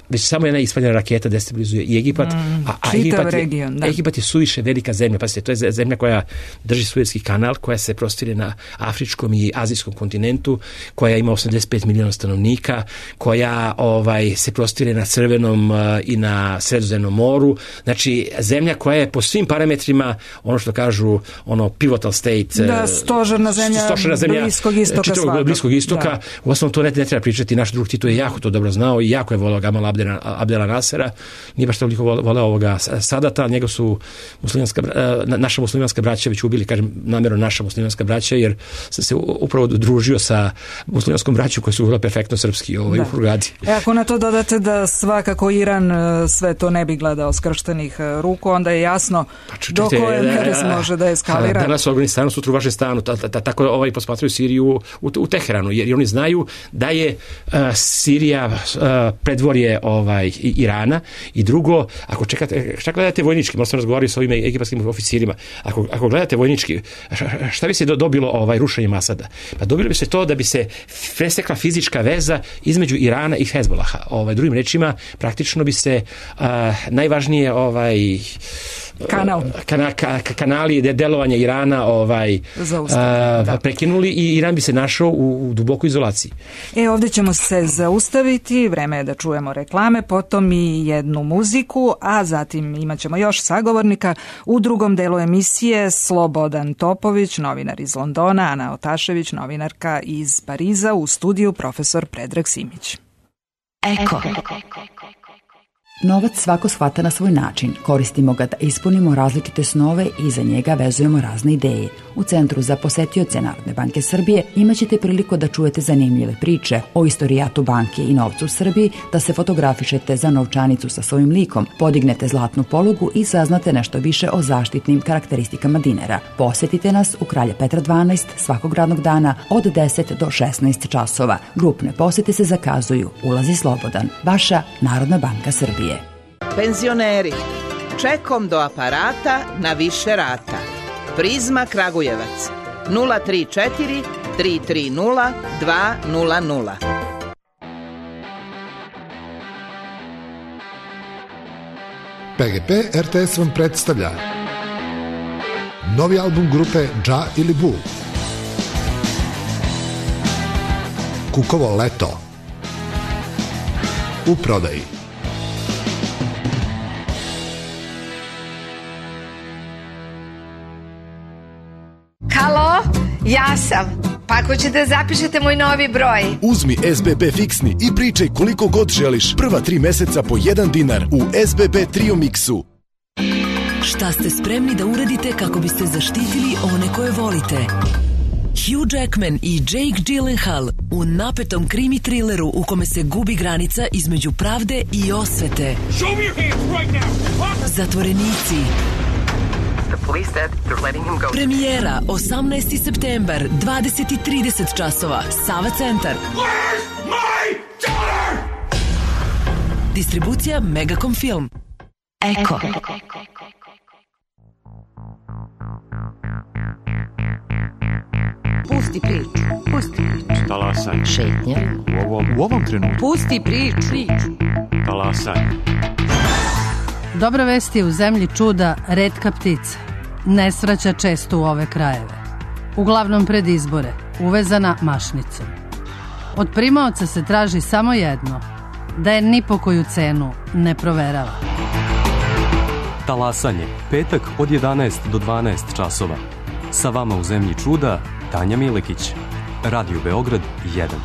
već samo jedna ispaljena raketa destabilizuje i Egipat, mm, a, a Egipat, region, je, Egipat je suviše velika zemlja. Pazite, to je zemlja koja drži Suezki kanal, koja se prostire na afričkom i azijskom kontinentu, koja ima osamdeset pet miliona stanovnika, koja ovaj, se prostire na Crvenom uh, i na Sredozemnom moru. Znači, zemlja koja je po svim parametrima, ono što kažu, ono pivotal state, da, stožerna zemlja, stožerna zemlja Bliskog istoka, čitavog Bliskog istoka. Da. U osnovu to ne, ne treba pričati, naš drug Tito je jako to dobro znao i jako je volao Gamal Abdela, Abdela Nasera, nije baš toliko voleo ovoga Sadata, njega su muslimanska, naša muslimanska braća već ubili, kažem namjerno naša muslimanska braća, jer sam se upravo družio sa muslimanskom braćom koji su vrlo perfektno srpski ovaj, u Hurgadi. E, ako na to dodate da svakako Iran sve to ne bi gledao skrštenih ruku, onda je jasno pa, do koje mere se može da eskalira. Danas u Afganistanu, sutra u Vašingtonu, tako ovaj posmatraju Siriju u, u Teheranu, jer oni znaju da je uh, Sirija uh, predvorje teritorije ovaj, Irana, i drugo, ako čekate, šta gledate vojnički, možda sam razgovarao s ovim egipatskim oficirima, ako, ako gledate vojnički, šta bi se dobilo ovaj, rušenjem Asada? Pa dobilo bi se to da bi se presekla fizička veza između Irana i Hezbolaha. Ovaj, drugim rečima, praktično bi se a, najvažnije ovaj, Kanal. Kana, ka, kanali delovanja Irana ovaj, a, da. prekinuli i Iran bi se našao u, u dubokoj izolaciji. E, ovdje ćemo se zaustaviti, vreme je da čujemo reklame, potom i jednu muziku, a zatim imat ćemo još sagovornika. U drugom delu emisije Slobodan Topović, novinar iz Londona, Ana Otašević, novinarka iz Pariza, u studiju profesor Predrag Simić. Eko. Novac svako shvata na svoj način. Koristimo ga da ispunimo različite snove i za njega vezujemo razne ideje. U Centru za posetioce Narodne banke Srbije imaćete priliku da čujete zanimljive priče o istorijatu banke i novcu u Srbiji, da se fotografišete za novčanicu sa svojim likom, podignete zlatnu polugu i saznate nešto više o zaštitnim karakteristikama dinara. Posetite nas u Kralja Petra dvanaest svakog radnog dana od deset do šesnaest časova. Grupne posete se zakazuju. Ulazi slobodan. Vaša Narodna banka Srbije. Penzioneri, čekom do aparata na više rata. Prizma Kragujevac, nula tri četiri tri tri nula dva nula nula. P G P R T S vam predstavlja novi album grupe Dža ili Bu, Kukovo leto, u prodaji. Halo, ja sam. Pa ako ćete zapišete moj novi broj. Uzmi S B B fiksni i pričaj koliko god želiš. Prva tri meseca po jedan dinar u S B B Trio Mixu. Šta ste spremni da uradite kako biste zaštitili one koje volite? Hugh Jackman i Jake Gyllenhaal u napetom krimi trileru u kome se gubi granica između pravde i osvete. Zatvorenici. Premijera osamnaesti septembar, dvadeset i trideset časova, Sava centar. Distribucija Megacom Film. Eko. Pusti priču, pusti priču. Talasaj. Šetnja. U ovom, u ovom trenutku. Pusti priču. Talasaj. Dobra vest je u zemlji čuda retka ptica. Ne svraća često u ove krajeve. Uglavnom pred izbore, uvezana mašnicom. Od primaoca se traži samo jedno, da je ni po koju cenu ne proverava. Talasanje, petak od jedanaest do dvanaest časova. Sa vama u zemlji čuda, Tanja Milekić. Radio Beograd jedan.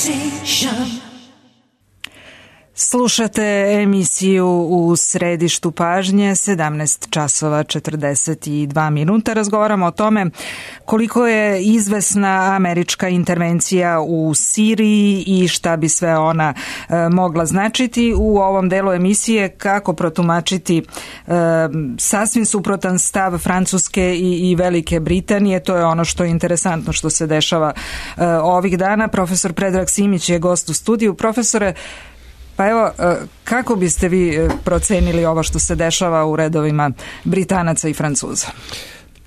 Station. Slušate emisiju U središtu pažnje, sedamnaest časova četrdeset dva minuta. Razgovaramo o tome koliko je izvesna američka intervencija u Siriji i šta bi sve ona e, mogla značiti. U ovom delu emisije kako protumačiti e, sasvim suprotan stav Francuske i, i Velike Britanije. To je ono što je interesantno što se dešava e, ovih dana. Profesor Predrag Simić je gost u studiju. Profesore, pa evo, kako biste vi procenili ovo što se dešava u redovima Britanaca i Francuza?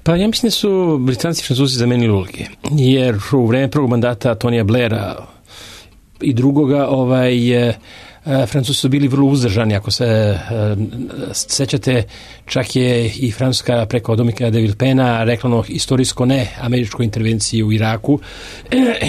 Pa ja mislim da su Britanci i Francuzi zamenili uloge, jer u vreme prvog mandata Tonija Blaira i drugoga ovaj, Francuzi su bili vrlo uzdržani, ako se sećate, čak je i Francuska preko Dominique de Villepena rekla ono istorijsko ne američkoj intervenciji u Iraku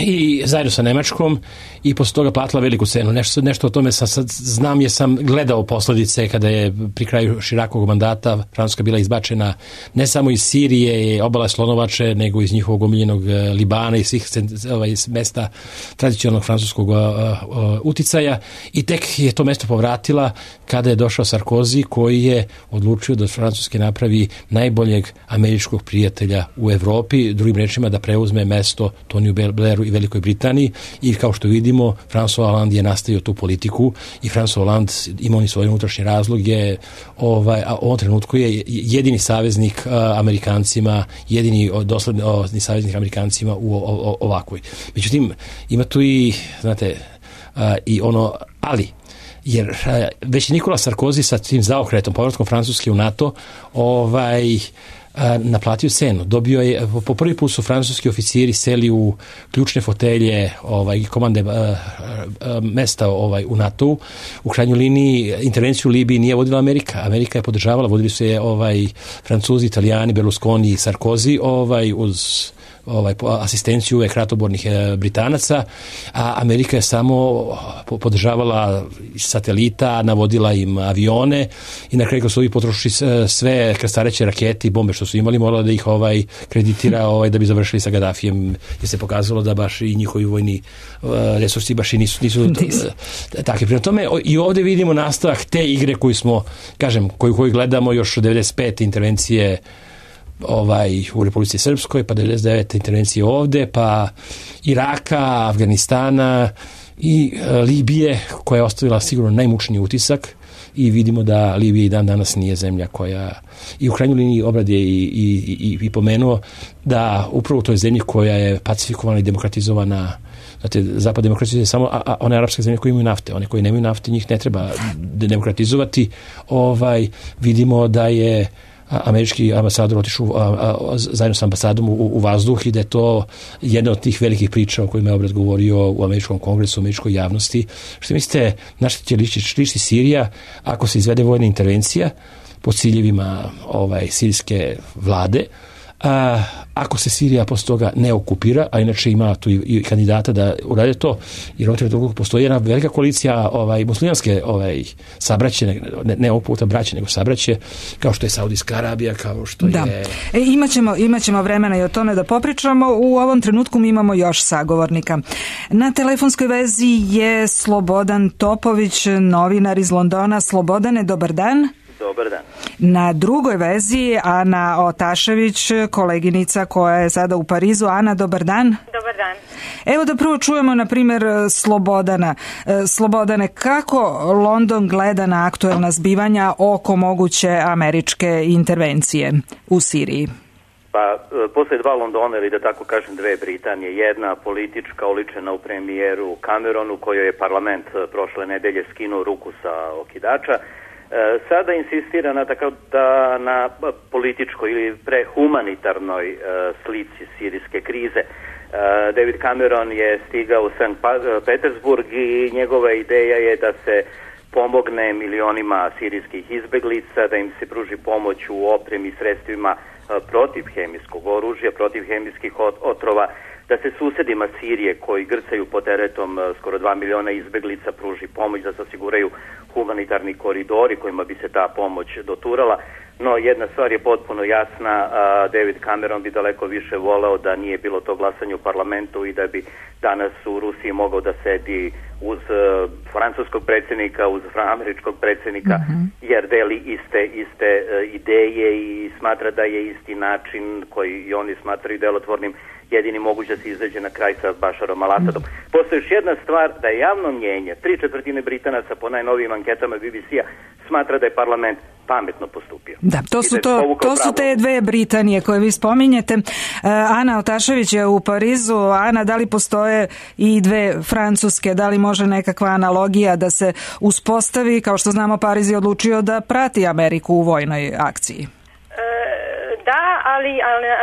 i zajedno sa Nemačkom i posle toga platila veliku cenu. Nešto, nešto o tome sam, sad znam jer sam gledao posledice kada je pri kraju Širakovog mandata Francuska bila izbačena ne samo iz Sirije i obala Slonovače, nego iz njihovog omiljenog Libana i svih ovaj, mesta tradicionalnog francuskog uh, uh, uticaja i tek je to mesto povratila kada je došao Sarkozy koji je odlučio da Francuske napravi najboljeg američkog prijatelja u Evropi, drugim rečima da preuzme mesto Toniju Blairu i Velikoj Britaniji i kao što vidimo François Hollande je nastavio tu politiku i François Hollande ima oni svoje unutrašnje razloge, ovaj, a u ovom trenutku je jedini saveznik uh, Amerikancima, jedini dosledni uh, saveznik Amerikancima u o, o, ovakvoj. Međutim, ima tu i, znate, uh, i ono, ali jer uh, već Nikola Sarkozy sa tim zaokretom, povratkom Francuske u NATO, ovaj, naplatio cenu. Dobio je, po prvi put su francuski oficiri seli u ključne fotelje ovaj, komande uh, uh, mesta ovaj, u NATO-u. U krajnjoj liniji intervenciju u Libiji nije vodila Amerika. Amerika je podržavala, vodili su je ovaj, Francuzi, Italijani, Berlusconi i Sarkozy ovaj, uz ovaj, asistenciju uvek ratobornih e, Britanaca, a Amerika je samo podržavala satelita, navodila im avione i na kraju kad su ovi potrošili sve krstareće rakete i bombe što su imali, morala da ih ovaj, kreditira ovaj, da bi završili sa Gaddafijem, jer se pokazalo da baš i njihovi vojni uh, resursi baš i nisu, nisu takvi. Prema tome i ovde vidimo nastavak te igre koju smo, kažem, koju, koju gledamo još od devedeset pete intervencije ovaj, u Republici Srpskoj, pa devedeset devete intervencije ovde, pa Iraka, Afganistana i e, Libije, koja je ostavila sigurno najmučniji utisak i vidimo da Libija i dan danas nije zemlja koja, i u krajnjoj liniji Obrad je i, i, i, i pomenuo da upravo u toj zemlji koja je pacifikovana i demokratizovana. Znate, zapad demokratizuje samo a, a one arapske zemlje koje imaju nafte, one koje nemaju nafte njih ne treba demokratizovati. Ovaj, vidimo da je američki ambasador otišao zajedno sa ambasadom u, u vazduh i da je to jedna od tih velikih priča o kojima je Obrad govorio u američkom kongresu, u američkoj javnosti. Što mislite, na što će ličiti Sirija ako se izvede vojna intervencija po ciljevima ovaj, sirijske vlade? A, ako se Sirija posle toga ne okupira, a inače ima tu i, i kandidata da urade to, jer ovdje drugo postoji jedna velika koalicija ovaj, muslimanske ovaj, sabraće, ne, ne ovog puta braće, nego sabraće, kao što je Saudijska Arabija, kao što da. je... E, imaćemo, imaćemo vremena i o tome da popričamo. U ovom trenutku mi imamo još sagovornika. Na telefonskoj vezi je Slobodan Topović, novinar iz Londona. Slobodane, dobar dan. Dobar dan. Na drugoj vezi Ana Otašević, koleginica koja je sada u Parizu. Ana, dobar dan. Dobar dan. Evo da prvo čujemo, na primjer, Slobodana. Slobodane, kako London gleda na aktuelna zbivanja oko moguće američke intervencije u Siriji? Pa, posle dva Londona, ili da tako kažem dve Britanije, jedna politička oličena u premijeru Cameronu, kojoj je parlament prošle nedelje skinuo ruku sa okidača, sada insistira na, takav, da, na političkoj ili prehumanitarnoj uh, slici sirijske krize. Uh, David Cameron je stigao u Sankt Petersburg i njegova ideja je da se pomogne milionima sirijskih izbeglica, da im se pruži pomoć u opremi i sredstvima uh, protiv hemijskog oružja, protiv hemijskih ot- otrova, da se susedima Sirije koji grcaju pod teretom skoro dva miliona izbeglica pruži pomoć, da se osiguraju humanitarni koridori kojima bi se ta pomoć doturala. No, jedna stvar je potpuno jasna, David Cameron bi daleko više voleo da nije bilo to glasanje u parlamentu i da bi danas u Rusiji mogao da sedi uz francuskog predsjednika, uz američkog predsjednika, mm-hmm. jer deli iste, iste ideje i smatra da je isti način koji i oni smatraju delotvornim jedini moguće da se izađe na kraj sa Bašarom al-Asadom. Postoji još jedna stvar, da je javno mnjenje, tri četvrtine Britanaca po najnovijim anketama B B C-a smatra da je parlament pametno postupio. Da, to su, to, to su te dve Britanije koje vi spominjete. Ana Otašević je u Parizu. Ana, da li postoje i dve Francuske? Da li može nekakva analogija da se uspostavi? Kao što znamo, Pariz je odlučio da prati Ameriku u vojnoj akciji. Da, ali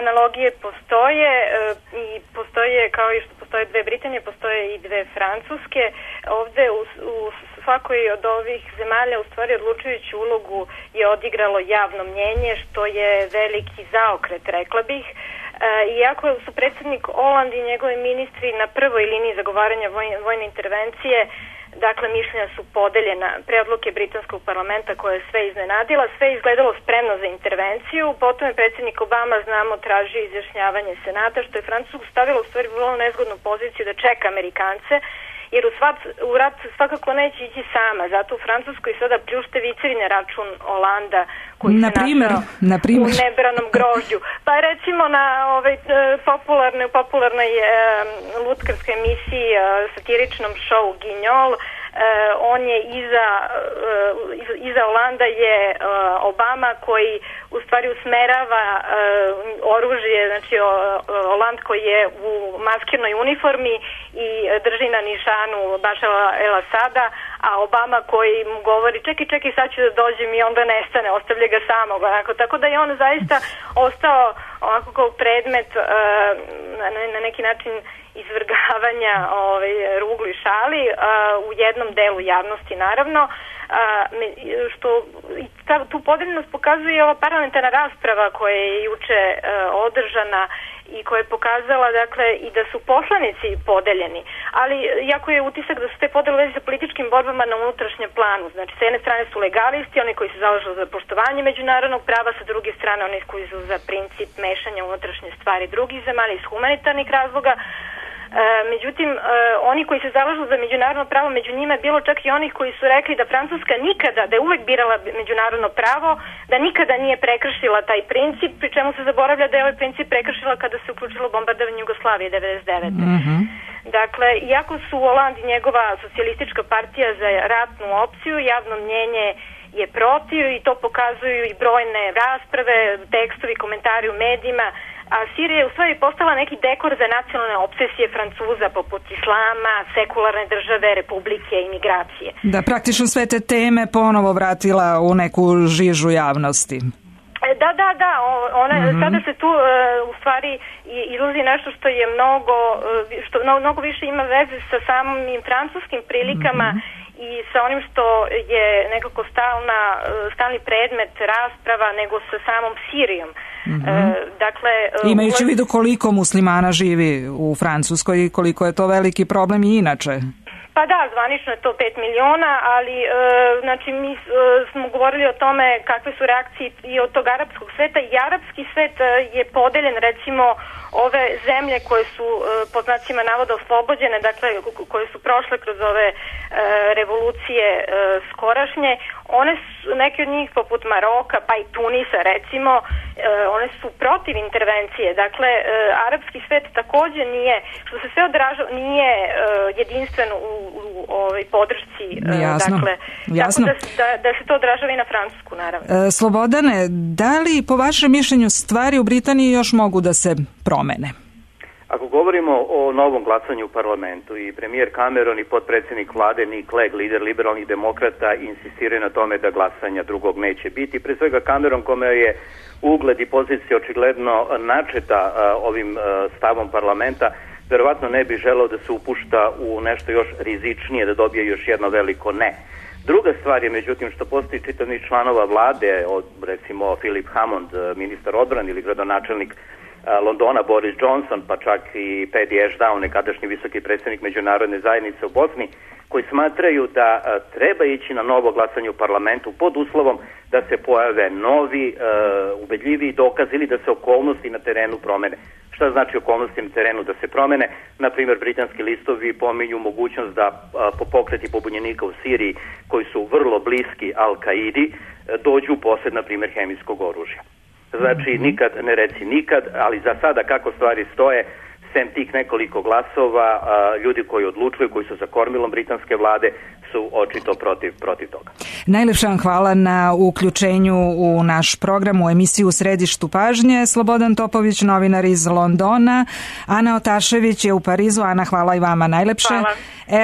analogije postoje i postoje, kao i što postoje dve Britanije, postoje i dve Francuske. Ovde u, u svakoj od ovih zemalja u stvari odlučujuću ulogu je odigralo javno mnjenje, što je veliki zaokret, rekla bih. Iako su predsjednik Hollande i njegovi ministri na prvoj liniji zagovaranja vojne intervencije, dakle, mišljenja su podeljena pre odluke britanskog parlamenta koja je sve iznenadila, sve je izgledalo spremno za intervenciju, potom je predsjednik Obama, znamo, tražio izjašnjavanje Senata, što je Francusku stavilo u stvari vrlo nezgodnu poziciju da čeka Amerikance, jer u, svat, u rat svakako neće ići sama, zato u Francuskoj sada pljušte vicevi na račun Holanda koji na se primer, našao na primer. u nebranom grožđu. Pa recimo na ovaj, popularnoj, popularnoj e, lutkarskoj emisiji, e, satiričnom šovu Guignol, Uh, on je iza, uh, iza Holanda je uh, Obama koji u stvari usmerava uh, oružje, znači uh, Holand koji je u maskirnoj uniformi i drži na nišanu Bašara el-Asada, a Obama koji mu govori čekaj, čekaj, sad ću da dođem i onda nestane, ostavlja ga samog. Onako. Tako da je on zaista ostao onako kao predmet uh, na, na neki način izvrgavanja ovaj, ruglu i šali uh, u jednom delu javnosti naravno, uh, što ta, tu podeljenost pokazuje ova parlamentarna rasprava koja je juče uh, održana i koja je pokazala dakle i da su poslanici podeljeni, ali jako je utisak da su te podele u vezi sa političkim borbama na unutrašnjem planu. Znači, s jedne strane su legalisti, oni koji se zalažu za poštovanje međunarodnog prava, sa druge strane oni koji su za princip mešanja unutrašnje stvari drugih zemalja iz humanitarnih razloga. E, međutim, e, oni koji se zalažu za međunarodno pravo, među njima je bilo čak i onih koji su rekli da Francuska nikada, da je uvek birala međunarodno pravo, da nikada nije prekršila taj princip, pri čemu se zaboravlja da je ovaj princip prekršila kada se uključilo bombardovanje Jugoslavije devedeset devete. Mm-hmm. Dakle, iako su Hollande i njegova socijalistička partija za ratnu opciju, javno mnjenje je protiv i to pokazuju i brojne rasprave, tekstovi, komentari u medijima, a Sirija je u stvari postala neki dekor za nacionalne obsesije Francuza poput islama, sekularne države, republike i migracije. Da, praktično sve te teme ponovo vratila u neku žižu javnosti. Da, da, da, ona, mm-hmm. sada se tu uh, u stvari izlazi nešto što je mnogo, što mnogo više ima veze sa samim francuskim prilikama, mm-hmm. i sa onim što je nekako stalna, stalni predmet rasprava nego sa samom Sirijom. Mm-hmm. E, dakle, imajući u vidu koliko muslimana živi u Francuskoj i koliko je to veliki problem i inače. Pa da, zvanično je to pet miliona, ali e, znači mi e, smo govorili o tome kakve su reakcije i od tog arapskog sveta. I arapski svet je podeljen, recimo ove zemlje koje su e, pod znacima navoda oslobođene, dakle koje su prošle kroz ove e, revolucije e, skorašnje, one su, neke od njih poput Maroka pa i Tunisa recimo, e, one su protiv intervencije. Dakle, e, arapski svet takođe nije, što se sve odražava, nije e, jedinstven u, u ovoj podršci. E, Jasno. Dakle, Jasno. tako da, da, da se to odražava i na Francusku, naravno. E, Slobodane, da li po vašem mišljenju stvari u Britaniji još mogu da se promene? Ako govorimo o novom glasanju u parlamentu i premijer Cameron i potpredsjednik vlade Nick Clegg, lider liberalnih demokrata, insistiraju na tome da glasanja drugog neće biti. Pre svega Cameron, kome je ugled i pozicija očigledno načeta uh, ovim uh, stavom parlamenta, verovatno ne bi želeo da se upušta u nešto još rizičnije, da dobije još jedno veliko ne. Druga stvar je, međutim, što postoji čitavnih članova vlade, od recimo Philip Hammond, ministar odbrane ili gradonačelnik Londona Boris Johnson, pa čak i Paddy Ashdown, nekadašnji visoki predsjednik međunarodne zajednice u Bosni, koji smatraju da treba ići na novo glasanje u parlamentu pod uslovom da se pojave novi, uh, ubedljiviji dokaz ili da se okolnosti na terenu promene. Šta znači okolnosti na terenu da se promene? Naprimjer, britanski listovi pominju mogućnost da uh, po pokreti pobunjenika u Siriji, koji su vrlo bliski Al-Kaidi, uh, dođu u posjed, na primjer, hemijskog oružja. Znači, nikad ne reci nikad, ali za sada kako stvari stoje, sem tih nekoliko glasova, ljudi koji odlučuju, koji su za kormilom britanske vlade, su očito protiv, protiv toga. Najlepša vam hvala na uključenju u naš program, u emisiju U središtu pažnje. Slobodan Topović, novinar iz Londona. Ana Otašević je u Parizu. Ana, hvala i vama najlepše. Hvala.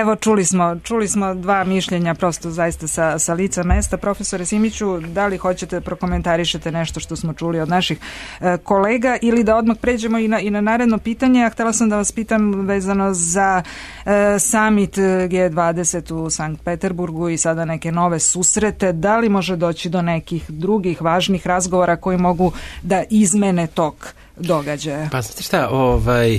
Evo, čuli smo, čuli smo dva mišljenja prosto zaista sa, sa lica mesta. Profesore Simiću, da li hoćete prokomentarišete nešto što smo čuli od naših e, kolega ili da odmah pređemo i na, i na naredno pitanje? A htjela sam da vas pitam vezano za e, summit G dvadeset u Sankt Peterburgu i sada neke nove susrete. Da li može doći do nekih drugih važnih razgovora koji mogu da izmene tok događaja? Pa znate šta, ovaj...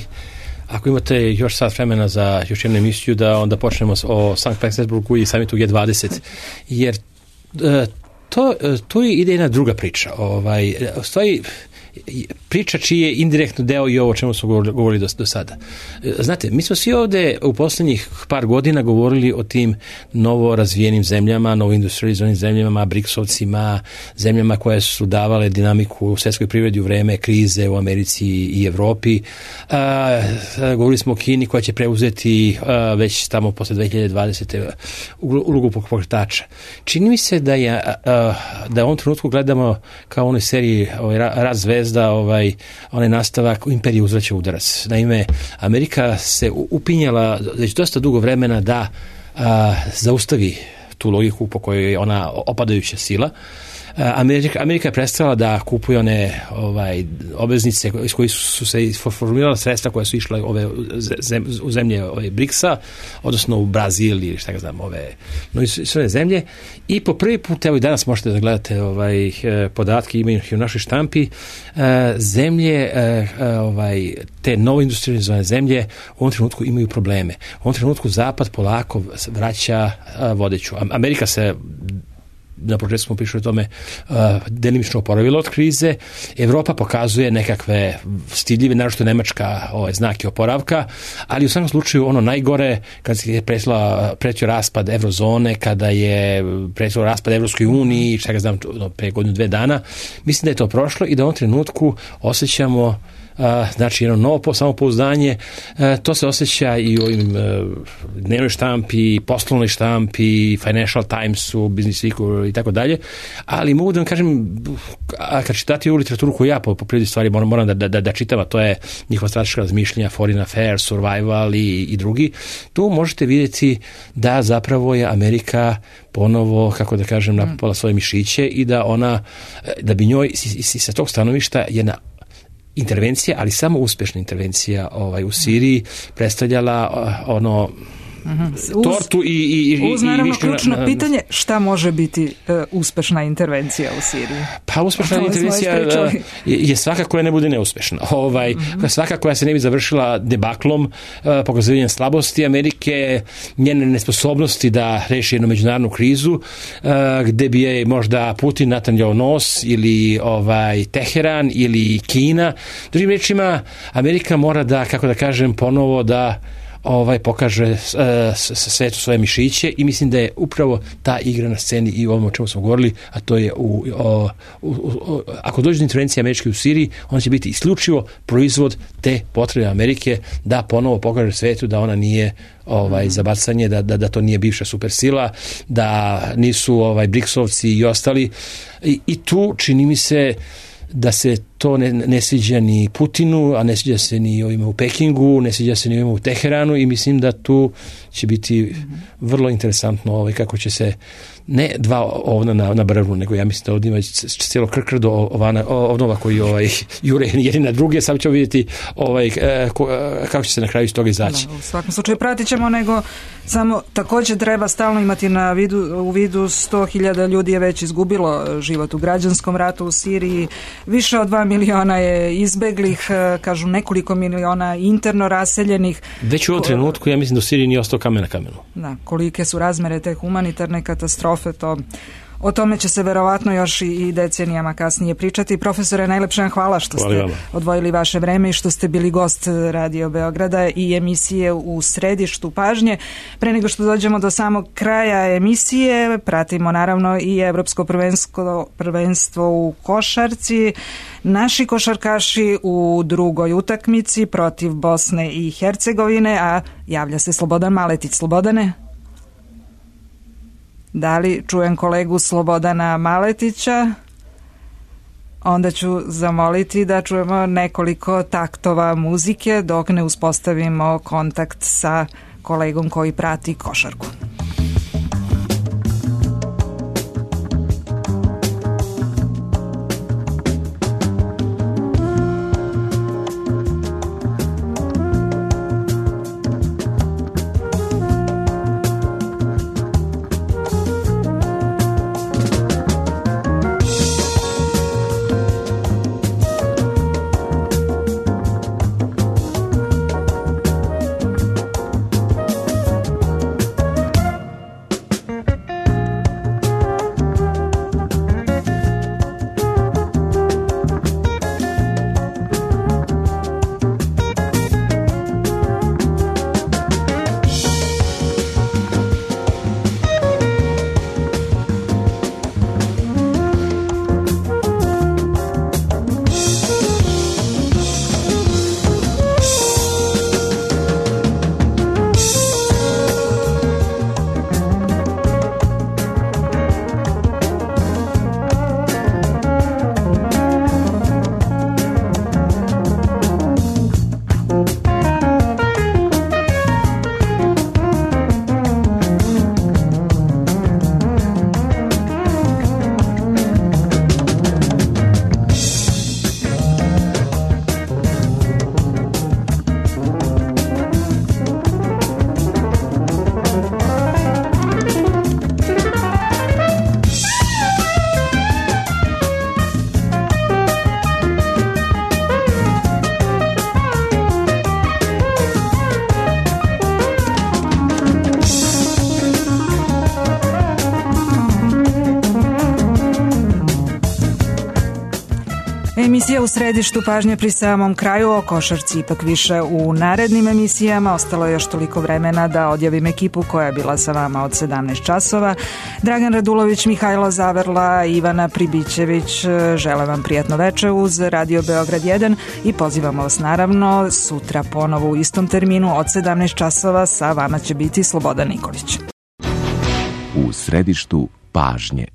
Ako imate još sat vremena za još jednu emisiju, da onda počnemo o Sankt Petersburgu i samitu G dvadeset, jer to, to ide jedna druga priča. Ovaj, stoji priča čiji je indirektno deo i ovo o čemu smo govorili do, do sada. Znate, mi smo svi ovde u posljednjih par godina govorili o tim novo razvijenim zemljama, novo industrializovanim zemljama, briksovcima, zemljama koje su davale dinamiku u svjetskoj privredi u vreme krize u Americi i Evropi. A, govorili smo o Kini koja će preuzeti a, već tamo posle dve hiljade dvadesete ulogu pokretača. Čini mi se da je a, da u ovom trenutku gledamo kao u onoj seriji ovaj, Rat zvezda, ovaj, onaj nastavak Imperije uzvraća udarac. Naime, Amerika se upinjala već dosta dugo vremena da a, zaustavi tu logiku po kojoj je ona opadajuća sila. Amerika, Amerika je prestala da kupuje one ovaj, obveznice iz kojih su se formirala sredstva koja su išle ove zem, u zemlje ove briksa, odnosno u Brazil ili šta ga znam, ove no, sve zemlje. I po prvi put, evo i danas možete da gledate ovaj, podatke, imaju u našoj štampi, zemlje, ovaj, te novo industrializovane zemlje u ovom trenutku imaju probleme. U ovom trenutku Zapad polako vraća vodeću. Amerika se, na početku smo pričali o tome, uh, delimično oporavila od krize. Evropa pokazuje nekakve stidljive, naročito Nemačka, ovaj, znake oporavka, ali u svakom slučaju ono najgore, kad je pretila, pretio raspad eurozone, kada je pretio raspad Evropskoj uniji, šta ga znam, pre godinu dve dana, mislim da je to prošlo i da u ovom trenutku osjećamo Uh, znači jedno novo samopouzdanje. Uh, to se osjeća i u ovim uh, dnevnoj štampi, poslovnoj štampi, Financial Timesu, Business Weeku i tako dalje, ali mogu da vam kažem, a kad čitati ovu literaturu koju ja po, po prirodi stvari moram, moram da, da, da čitam, a to je njihova strateška razmišljenja, Foreign Affairs, Survival i, i drugi, tu možete vidjeti da zapravo je Amerika ponovo, kako da kažem, napala svoje mišiće i da ona, da bi njoj sa tog stanovišta jedna intervencija, ali samo uspješna intervencija ovaj, u Siriji predstavljala ono Uz, tortu i, i, i uz naravno i ključno na, na, pitanje šta može biti uh, uspešna intervencija u Siriji. Pa uspešna intervencija je, je svaka koja ne bude neuspešna. Ovaj, mm-hmm. Svaka koja se ne bi završila debaklom, uh, pokazivanjem slabosti Amerike, njene nesposobnosti da reši jednu međunarodnu krizu, uh, gde bi je možda Putin natanjao nos ili ovaj, Teheran ili Kina. Drugim rečima, Amerika mora da, kako da kažem, ponovo da ovaj pokaže uh, svetu svoje mišiće i mislim da je upravo ta igra na sceni i u ovom o čemu smo govorili, a to je u, o, u, u, ako dođe do intervencije američke u Siriji, on će biti isključivo proizvod te potrebe Amerike da ponovo pokaže svetu da ona nije ovaj za bacanje, da, da, da to nije bivša supersila, da nisu ovaj briksovci i ostali i, i tu čini mi se da se to ne, ne sviđa ni Putinu, a ne sviđa se ni ovima u Pekingu, ne sviđa se ni ovima u Teheranu i mislim da tu će biti vrlo interesantno ovaj, kako će se ne dva ovna na, na brvnu, nego ja mislim da ovdje ima cijelo krkrdo ovana, ovnova koji ovaj, jure jedni na druge, sad ćemo vidjeti ovaj, kako će se na kraju iz toga izaći. Da, u svakom slučaju pratit ćemo, nego samo također treba stalno imati na vidu, u vidu sto hiljada ljudi je već izgubilo život u građanskom ratu u Siriji, više od dva miliona je izbeglih, kažu nekoliko miliona interno raseljenih. Već u ovom trenutku, ja mislim da u Siriji nije ostao kamen na kamenu. Da, kolike su razmere te humanitarne katastrofe, to... O tome će se verovatno još i decenijama kasnije pričati. Profesore, najlepše vam hvala što ste odvojili vaše vreme i što ste bili gost Radio Beograda i emisije U središtu pažnje. Pre nego što dođemo do samog kraja emisije, pratimo naravno i Evropsko prvenstvo, prvenstvo u košarci. Naši košarkaši u drugoj utakmici protiv Bosne i Hercegovine, a javlja se Slobodan Maletić. Slobodane? Da li čujem kolegu Slobodana Maletića? Onda ću zamoliti da čujemo nekoliko taktova muzike dok ne uspostavimo kontakt sa kolegom koji prati košarku. Emisija U središtu pažnje pri samom kraju, o košarci ipak više u narednim emisijama. Ostalo je još toliko vremena da odjavim ekipu koja je bila sa vama od sedamnaest časova. Dragan Radulović, Mihajlo Zaverla, Ivana Pribićević, želim vam prijatno veče uz Radio Beograd jedan i pozivamo vas naravno sutra ponovo u istom terminu od sedamnaest časova. Sa vama će biti Slobodan Nikolić. U središtu pažnje.